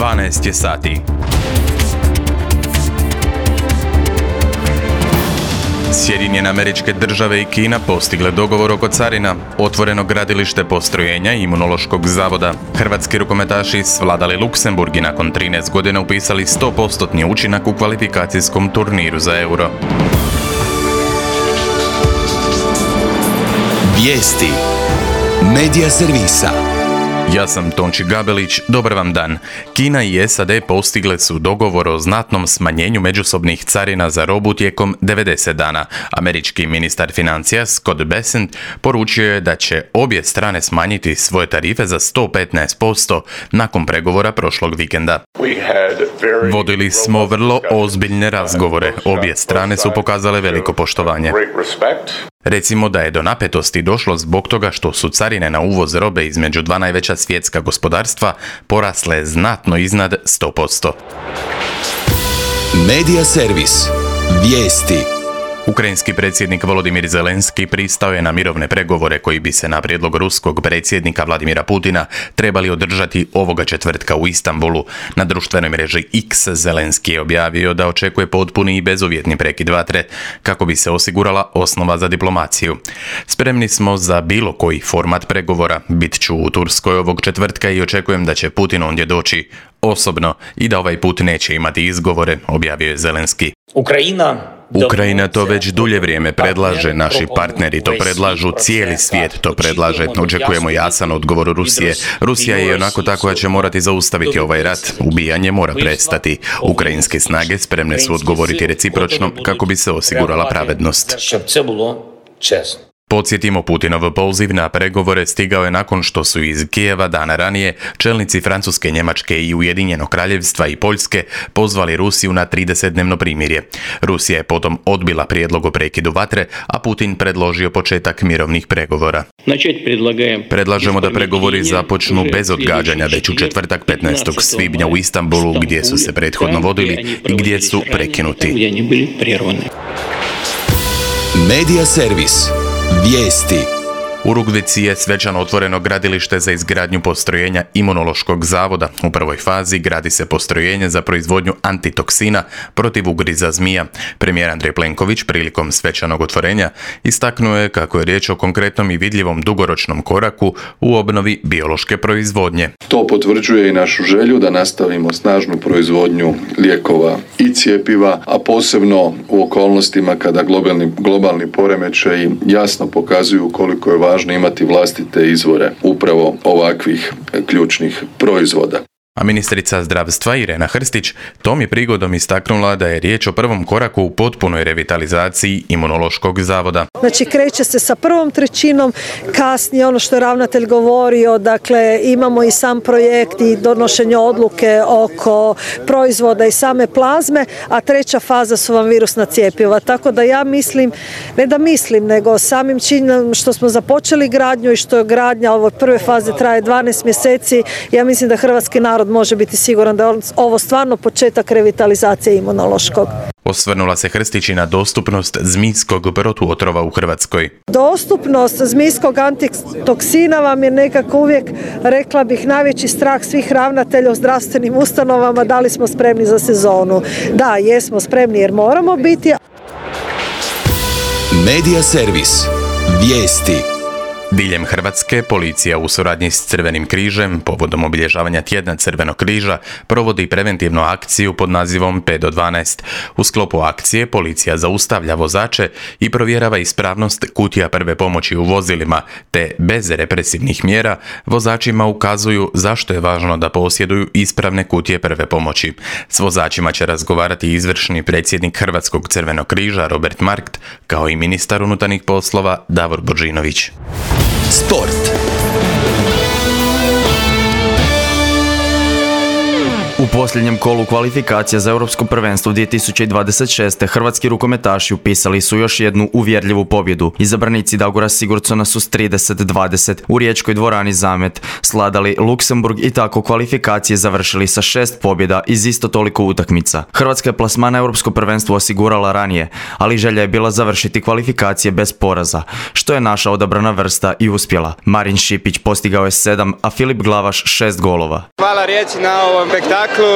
12 je sati. Sjedinjene Američke Države i Kina postigle dogovor oko carina, otvoreno gradilište postrojenja Imunološkog zavoda. Hrvatski rukometaši svladali Luksemburg i nakon 13 godina upisali 100% učinak u kvalifikacijskom turniru za Euro. Vijesti Medija servisa. Ja sam Tonči Gabelić, dobar vam dan. Kina i SAD postigle su dogovor o znatnom smanjenju međusobnih carina za robu tijekom 90 dana. Američki ministar financija Scott Bessent poručio je da će obje strane smanjiti svoje tarife za 115% nakon pregovora prošlog vikenda. Vodili smo vrlo ozbiljne razgovore. Obje strane su pokazale veliko poštovanje. Recimo da je do napetosti došlo zbog toga što su carine na uvoz robe između dva najveća svjetska gospodarstva porasle znatno iznad 100%. Medija servis. Vijesti. Ukrajinski predsjednik Volodimir Zelenski pristao je na mirovne pregovore koji bi se na prijedlog ruskog predsjednika Vladimira Putina trebali održati ovoga četvrtka u Istanbulu. Na društvenoj mreži X Zelenski je objavio da očekuje potpuni i bezuvjetni prekid vatre kako bi se osigurala osnova za diplomaciju. Spremni smo za bilo koji format pregovora. Bit ću u Turskoj ovog četvrtka i očekujem da će Putin ondje doći osobno i da ovaj put neće imati izgovore, objavio je Zelenski. Ukrajina to već dulje vrijeme predlaže, naši partneri to predlažu, cijeli svijet to predlaže. Očekujemo jasan odgovor Rusije. Rusija je onako tako da će morati zaustaviti ovaj rat. Ubijanje mora prestati. Ukrajinske snage spremne su odgovoriti recipročno kako bi se osigurala pravednost. Podsjetimo, Putinov poziv na pregovore stigao je nakon što su iz Kijeva dana ranije čelnici Francuske, Njemačke i Ujedinjenog Kraljevstva i Poljske pozvali Rusiju na 30-dnevno primirje. Rusija je potom odbila prijedlog o prekidu vatre, a Putin predložio početak mirovnih pregovora. Predlažemo da pregovori započnu bez odgađanja već u četvrtak 15. svibnja u Istanbulu, gdje su se prethodno vodili i gdje su prekinuti. Medija servis. Vijesti. U Rugvici je svečano otvoreno gradilište za izgradnju postrojenja Imunološkog zavoda. U prvoj fazi gradi se postrojenje za proizvodnju antitoksina protiv ugriza zmija. Premijer Andrej Plenković prilikom svečanog otvorenja istaknuo je kako je riječ o konkretnom i vidljivom dugoročnom koraku u obnovi biološke proizvodnje. To potvrđuje i našu želju da nastavimo snažnu proizvodnju lijekova i cjepiva, a posebno u okolnostima kada globalni poremećaji jasno pokazuju koliko je važno imati vlastite izvore upravo ovakvih ključnih proizvoda. A ministrica zdravstva Irena Hrstić tom je prigodom istaknula da je riječ o prvom koraku u potpunoj revitalizaciji Imunološkog zavoda. Znači kreće se sa prvom trećinom, kasnije ono što je ravnatelj govorio, dakle imamo i sam projekt i donošenje odluke oko proizvoda i same plazme, a treća faza su vam virusna cjepiva. Tako da ja mislim, ne da mislim, nego samim činom što smo započeli gradnju i što je gradnja ove prve faze traje 12 mjeseci, ja mislim da hrvatski narod može biti siguran da je ovo stvarno početak revitalizacije imunološkog. Osvrnula se Hrstić i na dostupnost zmijskog protuotrova u Hrvatskoj. Dostupnost zmijskog antitoksina vam je nekako uvijek, rekla bih, najveći strah svih ravnatelja u zdravstvenim ustanovama. Da li smo spremni za sezonu? Da, jesmo spremni jer moramo biti. Medija servis. Vijesti. Diljem Hrvatske, policija u suradnji s Crvenim križem povodom obilježavanja tjedna Crvenog križa provodi preventivnu akciju pod nazivom 5 do 12. U sklopu akcije policija zaustavlja vozače i provjerava ispravnost kutija prve pomoći u vozilima, te bez represivnih mjera vozačima ukazuju zašto je važno da posjeduju ispravne kutije prve pomoći. S vozačima će razgovarati izvršni predsjednik Hrvatskog Crvenog križa Robert Markt, kao i ministar unutarnjih poslova Davor Božinović. Sport. U posljednjem kolu kvalifikacija za Europsko prvenstvo 2026. hrvatski rukometaši upisali su još jednu uvjerljivu pobjedu. Izabranici Dagora Sigurdsona su s 30-20 u riječkoj dvorani Zamet sladali Luksemburg i tako kvalifikacije završili sa 6 pobjeda iz isto toliko utakmica. Hrvatska je plasman na Europsko prvenstvo osigurala ranije, ali želja je bila završiti kvalifikacije bez poraza, što je naša odabrana vrsta i uspjela. Marin Šipić postigao je 7, a Filip Glavaš 6 golova. Hvala Rijeci na ovom spektaklu,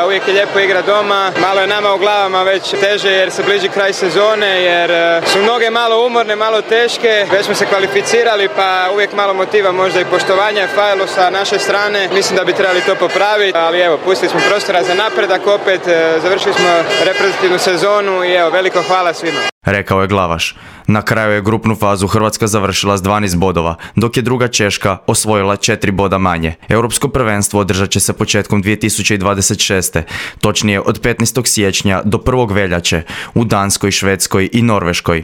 uvijek je lijepo igra doma, malo je nama u glavama već teže jer se bliži kraj sezone, jer su mnoge malo umorne, malo teške, već smo se kvalificirali pa uvijek malo motiva, možda i poštovanja fajlo sa naše strane, mislim da bi trebali to popraviti, ali evo, pustili smo prostora za napredak opet, završili smo reprezentativnu sezonu i evo, veliko hvala svima. Rekao je Glavaš. Na kraju je grupnu fazu Hrvatska završila s 12 bodova, dok je druga Češka osvojila 4 boda manje. Europsko prvenstvo održat će se početkom 2026. Točnije od 15. siječnja do 1. veljače u Danskoj, Švedskoj i Norveškoj.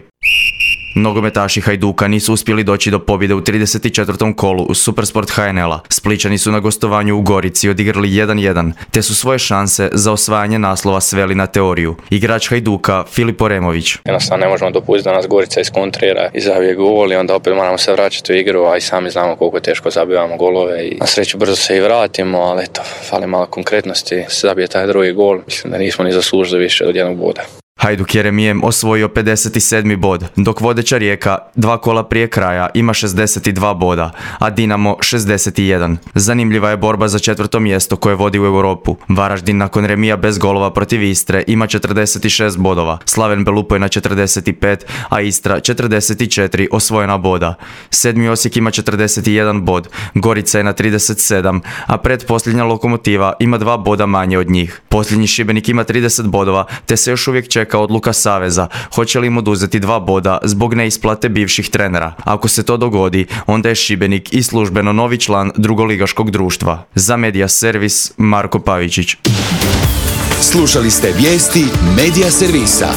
Nogometaši Hajduka nisu uspjeli doći do pobjede u 34. kolu u Supersport HNL-a. Splićani su na gostovanju u Gorici odigrali 1-1, te su svoje šanse za osvajanje naslova sveli na teoriju. Igrač Hajduka Filip Oremović. Jednostavno ne možemo dopustiti da nas Gorica iskontrira i zabije gol i onda opet moramo se vraćati u igru, a i sami znamo koliko teško zabivamo golove i na sreću brzo se i vratimo, ali eto, fali malo konkretnosti, se zabije taj drugi gol, mislim da nismo ni zaslužili više od jednog boda. Hajduk je remijem osvojio 57. bod, dok vodeća Rijeka 2 kola prije kraja ima 62 boda, a Dinamo 61. Zanimljiva je borba za 4. mjesto koje vodi u Europu. Varaždin nakon remija bez golova protiv Istre ima 46 bodova, Slaven Belupo na 45, a Istra 44 osvojena boda. 7. Osijek ima 41 bod, Gorica je na 37, a pretposljednja Lokomotiva ima 2 boda manje od njih. Posljednji Šibenik ima 30 bodova, te se još uvijek čeka odluka Saveza, hoće li im oduzeti 2 boda zbog neisplate bivših trenera. Ako se to dogodi, onda je Šibenik i službeno novi član drugoligaškog društva. Za Media Servis, Marko Pavičić. Slušali ste vijesti Media Servisa.